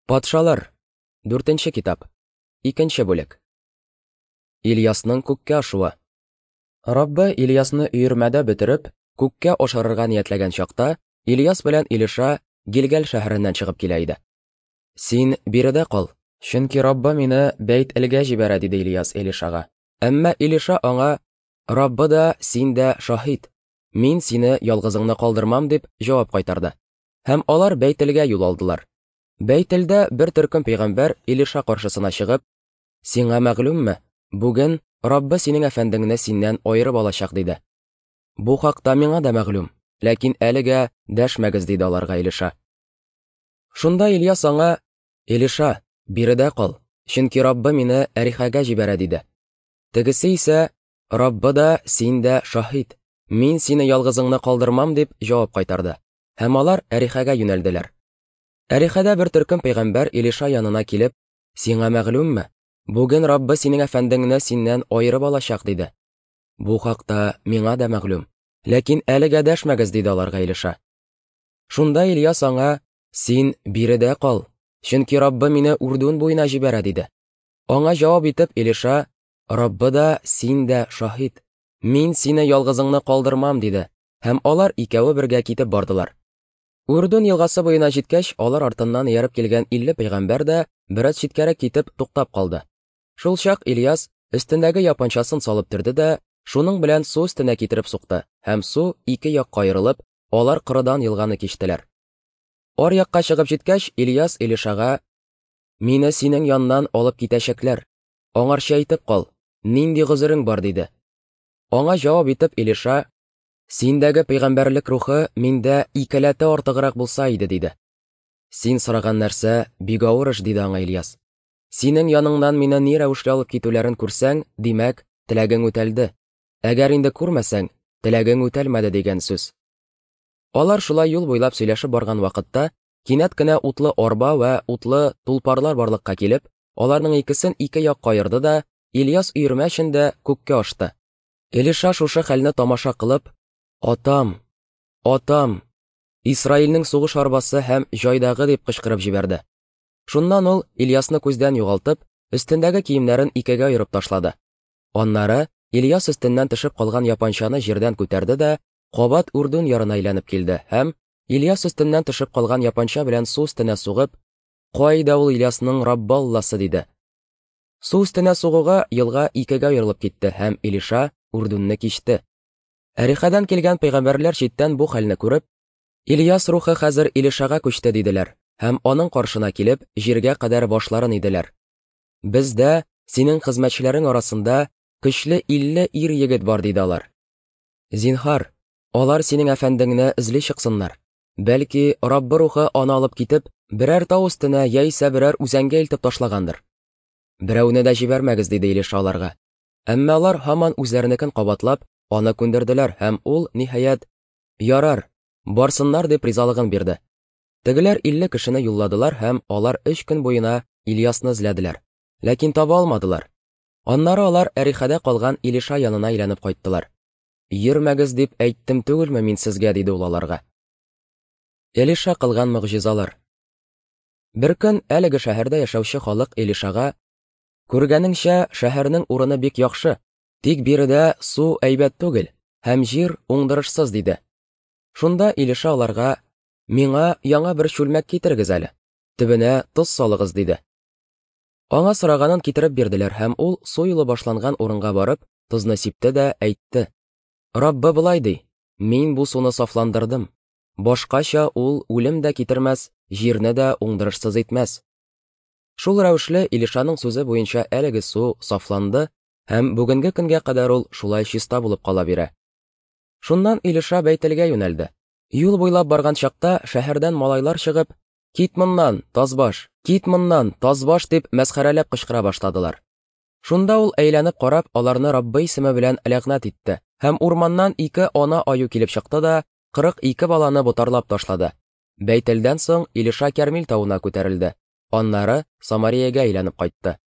Патшалар. Дүртенче китап. Икенче бүлек. Ильясның күккә ашуы. Раббы Ильясны өермәдә бөтереп, күккә ашырырга ниятләгән чакта, Ильяс белән Илиша Гилгәл шәһәреннән чыгып килә иде. Син биредә кал, чөнки Раббы мине Бәйт-Элгә җибәрә, диде Ильяс Илишага. Әмма Илиша аңа, Раббы да, син дә шаһит, мин сине ялгызыңны калдырмам, дип җавап кайтарды. Һәм алар Бәйт-Элгә юл алдылар. Бәйтелдә бер төркем пәйгамбәр Илиша каршысына чыгып, Сиңа мәгълүмме, бүген Раббы синең әфәндеңне синнән аерып алачак, диде. Бу хакта миңа да мәгълүм, ләкин әлегә дәшмәгез, диде аларга Илиша. Шунда Ильяс аңа, Илиша, биредә кал, чөнки Раббы мине Әрихәгә җибәрә, диде. Тегесе исә, Раббы да, син дә шаһит, мин сине ялгызыңны калдырмам, дип җавап кайтарды. Һәм алар Әрихәгә юнәлделәр. Әрихәдә бер төркем пәйгамбәр Илиша янына килеп, Сиңа мәгълүмме, бүген Раббы синең әфәндеңне синнән аерып алачак, диде. Бу хакта миңа да мәгълүм, ләкин әлегә дәшмәгез, диде аларга Илиша. Шунда Ильяс аңа, Син биредә кал, чөнки Раббы мине Үрдүн буена җибәрә, диде. Аңа җавап итеп Илиша, Раббы да, син дә шаһит, мин сине ялгызыңны калдырмам, диде, һәм алар икәве бергә китеп бардылар. Үрдүн елгасы буена җиткәч, алар артыннан ияреп килгән 50 пәйгамбәр дә бераз читкәрәк китеп туктап калды. Шул чак Ильяс өстендәге япанчасын салып төрде дә, шуның белән су өстенә китереп сукты, һәм су ике якка аерылып, алар корыдан елганы кичтеләр. Ар якка чыгып җиткәч, Ильяс Илишага: "Мине синең яннан алып китәчәкләр. Аңарчы әйтеп кал, нинди гозерең бар?" диде. Аңа җавап итеп Илиша: Синдәге пәйгамбәрлек рухы миндә икеләтә артыграк булса иде, диде. Син сораган нәрсә бик авыр эш, диде аңа Ильяс. Синең яныңнан мине ни рәвешле алып китүләрен күрсәң, димәк, теләгең үтәлде. Әгәр инде күрмәсәң, теләгең үтәлмәде дигән сүз. Алар шулай юл буйлап сөйләшеп барган вакытта, кинәт кенә утлы арба вә утлы тулпарлар барлыкка килеп, аларның икесен ике якка аерды да, Ильяс өермә эчендә күккә ашты. Элиша шушы хәлне тамаша кылып, Атам! Атам! Исраилнең сугыш арбасы һәм җайдагы дип кычкырып җибәрде. Шуннан ул Ильясны күздән югалтып, өстендәге киемнәрен икегә аерып ташлады. Аннары Ильяс өстеннән төшеп калган япанчаны җирдән күтәрде дә, кабат Үрдүн ярына әйләнеп килде һәм, Ильяс өстеннән төшеп калган япанча белән су өстенә сугып, Кайда ул Ильясның Раббалласы? диде. Су өстенә сугуга елга икегә аерылып китте һәм Илиша Үрдүнне кичте. Әрихәдән килгән пәйгамбәрләр читтән бу хәлне күреп, Ильяс рухы хәзер Илишага күчте диделәр һәм аның каршына килеп, җиргә кадәр башларын иделәр. Бездә, синең хезмәтчеләрең арасында, көчле 50 ир-егет бар, диде алар. Зинһар, алар синең әфәндеңне эзли чыксыннар. Бәлки, Раббы рухы аны алып китеп, берәр тау өстенә яисә берәр үзәнгә илтеп ташлагандыр. Берәүне дә җибәрмәгез, диде Илиша аларга. Әмма алар һаман үзләренекен кабатлап, аны күндерделәр һәм ул, ниһаять, ярар, барсыннар дип ризалыгын бирде. Тегеләр 50 кешене юлладылар һәм алар өч көн буена Ильясны эзләделәр. Ләкин таба алмадылар. Аннары алар Әрихәдә калган Илиша янына әйләнеп кайттылар. Йөрмәгез дип әйттем түгелме мин сезгә, диде ул аларга. Элиша кылган могҗизалар. Беркөн әлеге шәһәрдә яшәүче халык Элишага, Күргәнеңчә, шәһәрнең урыны бик яхшы, тик биредә су әйбәт түгел һәм җир уңдырышсыз, диде. Шунда Илиша аларга, Миңа яңа бер чүлмәк китерегез әле, төбенә тоз салыгыз, диде. Аңа сораганын китереп бирделәр һәм ул су юлы башланган урынга барып, тозны сипте дә әйтте: Раббы болай ди: Мин бу суны сафландырдым. Башкача ул үлем дә китермәс, җирне дә уңдырышсыз итмәс. Шул рәвешле Илишаның сүзе буенча әлеге су сафланды һәм бүгенге көнгә кадәр ул шулай чиста булып кала бирә. Шуннан Илиша Бәйтелгә юнәлде. Юл буйлап барган чакта шәһәрдән малайлар чыгып, Кит моннан, тазбаш, кит моннан, тазбаш дип мәсхәрәләп кычкыра башладылар. Шунда ул әйләнеп карап, аларны Раббы исеме белән ләгънәт итте. Һәм урманнан ике ана аю килеп чыкты да, 42 баланы ботарлап ташлады. Бәйтелдән соң Илиша Кәрмил тавына күтәрелде. Аннары Самариягә әйләнеп кайтты.